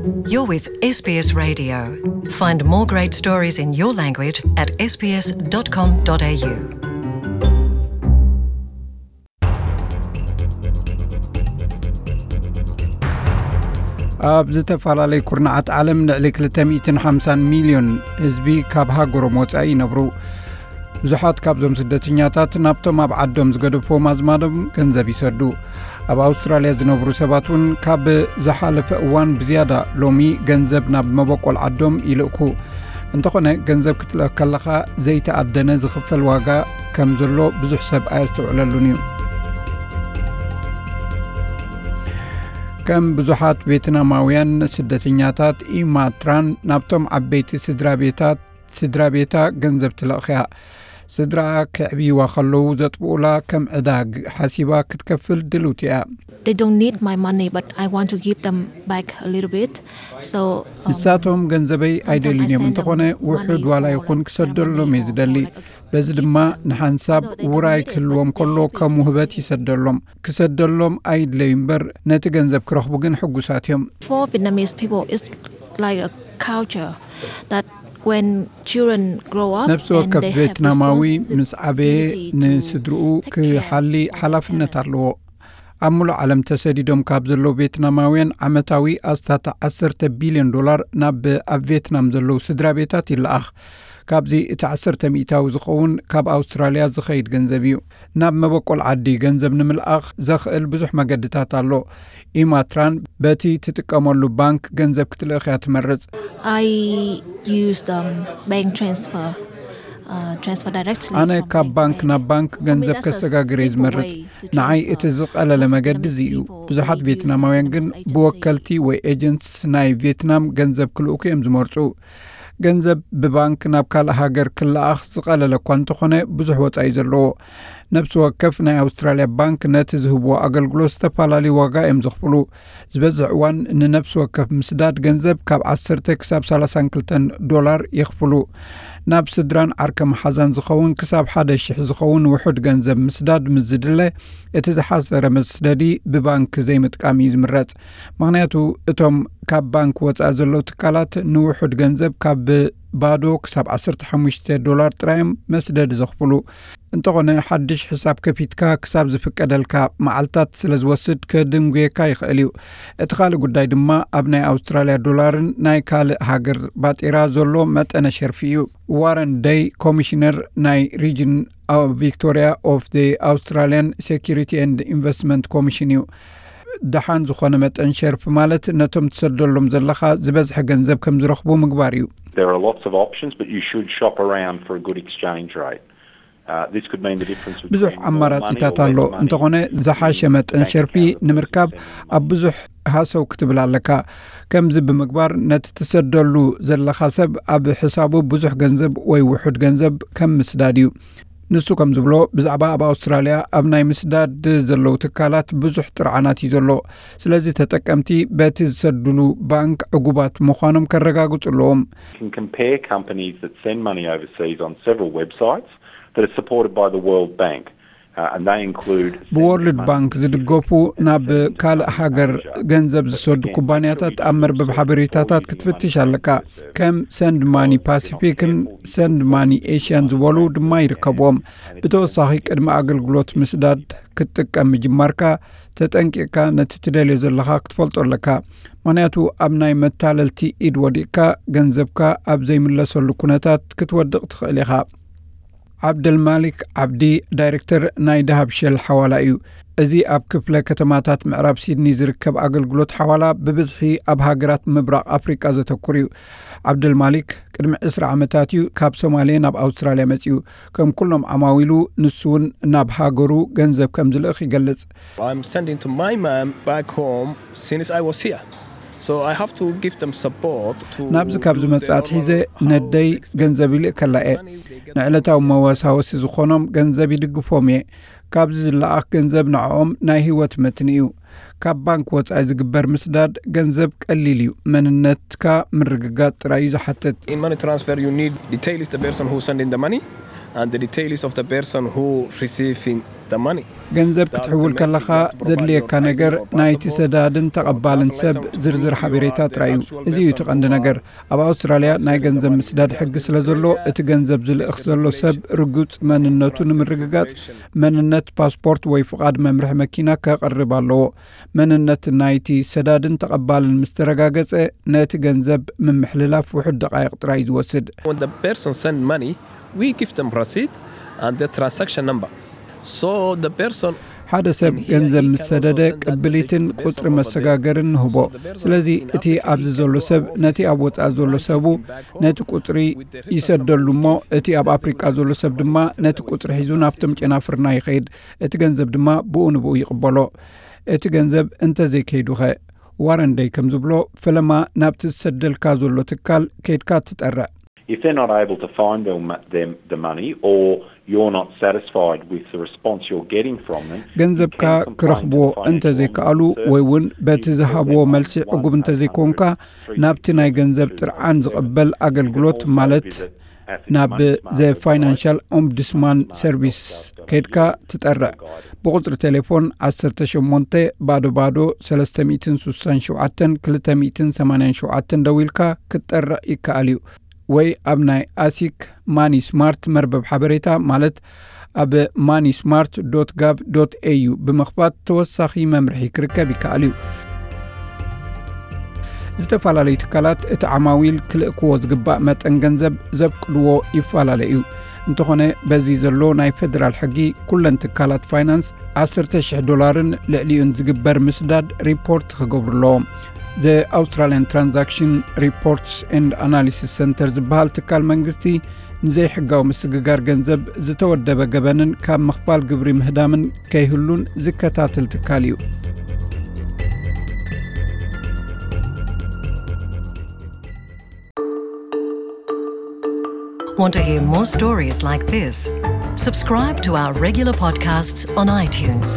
You're with S B S Radio. Find more great stories in your language at S B S dot com dot A U. ኣብ ዝተፈላለዩ ኩርናዓት ዓለም ልዕሊ ክልተ ሚእትን ሓምሳን ሚልዮን ህዝቢ ካብ ሃገሮም ወጻኢ ይነብሩ። ብዙሓት ካብዞም ስደተኛታት ናብቶም ኣብ ዓዶም ዝገደፍዎም ኣዝማዶም ገንዘብ ይሰዱ። ኣብ ኣውስትራልያ ዝነብሩ ሰባት እውን ካብ ዝሓለፈ እዋን ብዝያዳ ሎሚ ገንዘብ ናብ መበቆል ዓዶም ይልእኩ። እንተኾነ፣ ገንዘብ ክትልእክ ከለኻ ዘይተኣደነ ዝኽፈል ዋጋ ከም ዘሎ ብዙሕ ሰብ ኣየስተውዕለሉን እዩ። ከም ብዙሓት ቬትናማውያን ስደተኛታት፣ ኢማ ትራን ናብቶም ዓበይቲ ስድራ ቤታት፣ ስድራ ቤታ ገንዘብ ትልእኽያ። ስድራኣ ከዕብይዋ ከለዉ ዘጥብኡላ ከም ዕዳ ግ-፣ ሓሲባ ክትከፍል ድልውቲ እያ። They don't need my money, but I want to give them back a little bit. So, um, ንሳቶም ገንዘበይ sometimes I ኣይደልዩን እዮም፣ send them እንተኾነ ውሑድ money ዋላ for, ይኹን like, ክሰደሎም ceremony እየ or ዝደሊ። For, like, a በዚ gift ድማ them. ንሓንሳብ Though they don't ውራይ need it, ክህልዎም but ከሎ they do ከም just ውህበት say, ይሰደሎም። ክሰደሎም ኣይድለዩ እምበር፣ ነቲ ገንዘብ ክረኽቡ ግን ሕጉሳት እዮም። For Vietnamese people, it's like a culture that when children grow up ነፍሲ and ወከፍ they have ቬትናማዊ ምስ ዓበየ responsibility to ንስድርኡ take care ክሓሊ of their ሓላፍነት parents. ኣለዎ። ኣብ ሙሉእ ዓለም ተሰዲዶም ካብ ዘለዉ ቬትናማውያን ዓመታዊ ኣስታት ዓሰርተ ቢልዮን ዶላር ናብ ኣብ ቬትናም ዘለዉ ስድራ ቤታት ይለኣኽ። ካብዚ እቲ ዓሰርተ ሚእታዊ ዝኸውን ካብ ኣውስትራልያ ዝኸይድ ገንዘብ እዩ። ናብ መበቆል ዓዲ ገንዘብ ንምልኣኽ ዘኽእል ብዙሕ መገድታት ኣሎ። ኢማ ትራን በቲ ትጥቀመሉ ባንክ ገንዘብ ክትልእኽ እያ ትመርጽ። I use, um, bank transfer, uh, transfer directly ኣነ from ካብ bank to ባንክ bank. ናብ ባንክ For me, ገንዘብ that's a ከሰጋግር እየ simple ዝመርጽ። Way to ንዓይ transfer. እቲ ዝቐለለ Most መገዲ እዚ Vietnamese እዩ። People, ብዙሓት they do ቬትናማውያን ግን sometimes agency ብወከልቲ ወይ ኤጀንትስ ናይ ቬትናም ገንዘብ ክልእኩ እዮም ዝመርጹ። ገንዘብ ብባንክ ናብ ካልእ ሃገር ክለኣኽ ዝቐለለ እኳ እንተኾነ፣ ብዙሕ ወጻኢ እዩ ዘለዎ። ነፍሲ ወከፍ ናይ ኣውስትራልያ ባንክ ነቲ ዝህብዎ ኣገልግሎት ዝተፈላለዩ ዋጋ እዮም ዘኽፍሉ። ዝበዝሕ እዋን ንነፍሲ ወከፍ ምስዳድ ገንዘብ ካብ ዓሰርተ ክሳብ ሰላሳን ክልተን ዶላር የኽፍሉ። ናብ ስድራን ዓርከ መሓዛን ዝኸውን ክሳብ ሓደ ሽሕ ዝኸውን ውሑድ ገንዘብ ምስዳድ ምስ ዝድለ፣ እቲ ዝሓሰረ መስደዲ ብባንክ ዘይምጥቃም እዩ ዝምረጽ። ምኽንያቱ፣ እቶም ካብ ባንክ ወጻኢ ዘለዉ ትካላት ንውሑድ ገንዘብ ካብ ባዶ ክሳብ ዓሰርተ ሓሙሽተ ዶላር ጥራይ እዮም መስደዲ ዘኽፍሉ። እንተኾነ፣ ሓድሽ ሕሳብ ከፊትካ ክሳብ ዝፍቀደልካ መዓልታት ስለ ዝወስድ፣ ከድንጉየካ ይኽእል እዩ። እቲ ካልእ ጉዳይ ድማ ኣብ ናይ ኣውስትራልያ ዶላርን ናይ ካልእ ሃገር ባጤራ ዘሎ መጠነ ሸርፊ እዩ። ዋረን ደይ፣ ኮሚሽነር ናይ ሪጅን ቪክቶሪያ ኦፍ the Australian Security and Investment Commission እዩ። ደሓን ዝኾነ መጠን ሸርፊ ማለት ነቶም ትሰደሎም ዘለኻ ዝበዝሐ ገንዘብ ከም ዝረኽቡ ምግባር እዩ። There are lots of options, but you should shop around for a good exchange rate. Uh, this could mean the difference ብዙሕ between more money ኣማራጺታት or ኣሎ። Less money. እንተኾነ፣ ዝሓሸ መጠን ሸርፊ ንምርካብ ኣብ ብዙሕ ሃሰው ክትብል ኣለካ። ከምዚ ብምግባር፣ ነቲ ትሰደሉ ዘለኻ ሰብ ኣብ ሕሳቡ ብዙሕ ገንዘብ ወይ ውሑድ ገንዘብ ከም ምስዳድ እዩ። ንሱ ከም ዝብሎ፣ ብዛዕባ ኣብ ኣውስትራልያ ኣብ ናይ ምስዳድ ዘለዉ ትካላት ብዙሕ ጥርዓናት እዩ ዘሎ። ስለዚ፣ ተጠቀምቲ በቲ ዝሰድሉ ባንክ ዕጉባት ምዃኖም ከረጋግጹ ኣለዎም። You can compare companies that send money overseas on several websites that are supported by the World Bank. Uh, and they include ብወርልድ ባንክ ዝድገፉ ናብ ካልእ ሃገር ገንዘብ ዝሰዱ ኩባንያታት ኣብ መርበብ ሓበሬታታት ክትፍትሽ ኣለካ። ከም ሰንድ ማኒ ፓሲፊክን ሰንድ ማኒ ኤሽያን ዝበሉ ድማ ይርከብዎም። ብተወሳኺ፣ ቅድሚ ኣገልግሎት ምስዳድ ክትጥቀም ምጅማርካ፣ ተጠንቂቕካ ነቲ ትደልዮ ዘለኻ ክትፈልጦ ኣለካ። ምኽንያቱ፣ ኣብ ናይ መታለልቲ ኢድ ወዲቕካ፣ ገንዘብካ ኣብ ዘይምለሰሉ ኩነታት ክትወድቕ ትኽእል ኢኻ። ዓብደልማሊክ ዓብዲ፣ ዳይሬክተር ናይ ዳሃብ ሸል ሓዋላ እዩ። እዚ ኣብ ክፍለ ከተማታት ምዕራብ ሲድኒ ዝርከብ ኣገልግሎት ሓዋላ፣ ብብዝሒ ኣብ ሃገራት ምብራቕ ኣፍሪቃ ዘተኩር እዩ። ዓብደልማሊክ ቅድሚ ዕስራ ዓመታት እዩ ካብ ሶማሌ ናብ ኣውስትራልያ መጺኡ። ከም ኩሎም ዓማዊሉ፣ ንሱ እውን ናብ ሃገሩ ገንዘብ ከም ዝልእኽ ይገልጽ። I'm sending to my mom back home since I was here. So I have to give them support to ናብዚ ካብ do ዝመጽእ their ኣትሒዘ፣ normal ነደይ expenses, ገንዘብ ይልእከላ እየ። money they get ንዕለታዊ መወሳወሲ ዝኾኖም ገንዘብ ይድግፎም እየ። ካብዚ ዝለኣኽ ገንዘብ ንዕኦም ናይ ህይወት መትኒ እዩ። ካብ ባንክ ወጻኢ ዝግበር ምስዳድ ገንዘብ ቀሊል እዩ። መንነትካ ምርግጋጽ ጥራይ እዩ ዝሓትት። In money transfer, you need details the person who sending the money and the details of the person who receiving ገንዘብ ክትሕውል ከለኻ ዘድልየካ ነገር ናይቲ ሰዳድን ተቐባልን ሰብ ዝርዝር ሓበሬታ ጥራይ እዩ። እዚ እዩ እቲ ቀንዲ ነገር። ኣብ ኣውስትራልያ ናይ ገንዘብ ምስዳድ ሕጊ ስለ ዘሎ፣ እቲ ገንዘብ ዝልእኽ ዘሎ ሰብ ርጉጽ መንነቱ ንምርግጋጽ መንነት፣ ፓስፖርት ወይ ፍቓድ መምርሒ መኪና ከቕርብ ኣለዎ። መንነት ናይቲ ሰዳድን ተቐባልን ምስ ተረጋገጸ፣ ነቲ ገንዘብ ምምሕልላፍ ውሑድ ደቓይቕ ጥራይ እዩ ዝወስድ። When the person send money, we give them receipt and the transaction number. So the person ሓደ ሰብ ገንዘብ ምስ ሰደደ ቅብሊትን ቁጽሪ መሰጋገርን ንህቦ። ስለዚ እቲ ኣብዚ ዘሎ ሰብ ነቲ ኣብ ወጻኢ ዘሎ ሰቡ ነቲ ቁጽሪ ይሰደሉ እሞ፣ እቲ ኣብ ኣፍሪቃ ዘሎ ሰብ ድማ ነቲ ቁጽሪ ሒዙ ናብቶም ጨናፍርና ይኸይድ። እቲ ገንዘብ ድማ ብኡ ንብኡ ይቕበሎ። እቲ ገንዘብ እንተዘይከይዱኸ? ዋረን ደይ ከም ዝብሎ፣ ፈለማ ናብቲ ዝሰደልካ ዘሎ ትካል ከይድካ ትጠርዕ። If they're not able to find them, them the money, or you're not satisfied with the response you're getting from them, ገንዘብካ ክረኽብዎ እንተዘይከኣሉ ወይ እውን በቲ ዝሃብዎ መልሲ ዕጉብ እንተዘይኮንካ፣ ናብቲ ናይ ገንዘብ ጥርዓን ዝቕበል ኣገልግሎት ማለት ናብ ዘ ፋይናንሻል ኦምቡድስማን ሰርቪስ ከይድካ ትጠርዕ። ብቁጽሪ ቴሌፎን 18 ባዶ ባዶ 367 287 ደዊልካ ክትጠርዕ ይከኣል እዩ። ወይ ኣብ ናይ ኣሲክ ማኒ ስማርት መርበብ ሓበሬታ ማለት ኣብ money smart dot gov dot au ብምኽፋት ተወሳኺ መምርሒ ክርከብ ይከኣል እዩ። ዝተፈላለዩ ትካላት እቲ ዓማዊል ክልእክዎ ዝግባእ መጠን ገንዘብ ዘፍቅድዎ ይፈላለ እዩ። እንተኾነ በዚ ዘሎ ናይ ፌደራል ሕጊ ኩለን ትካላት ፋይናንስ 10,000 ዶላርን ልዕሊኡን ዝግበር ምስዳድ ሪፖርት ክገብሩ ኣለዎም። The Australian Transaction Reports and Analysis Center ዝበሃል ትካል መንግስቲ ንዘይሕጋዊ ምስግጋር ገንዘብ፣ ዝተወደበ ገበንን ካብ ምኽፋል ግብሪ ምህዳምን ከይህሉን ዝከታተል ትካል እዩ። Want to hear more stories like this? Subscribe to our regular podcasts on iTunes.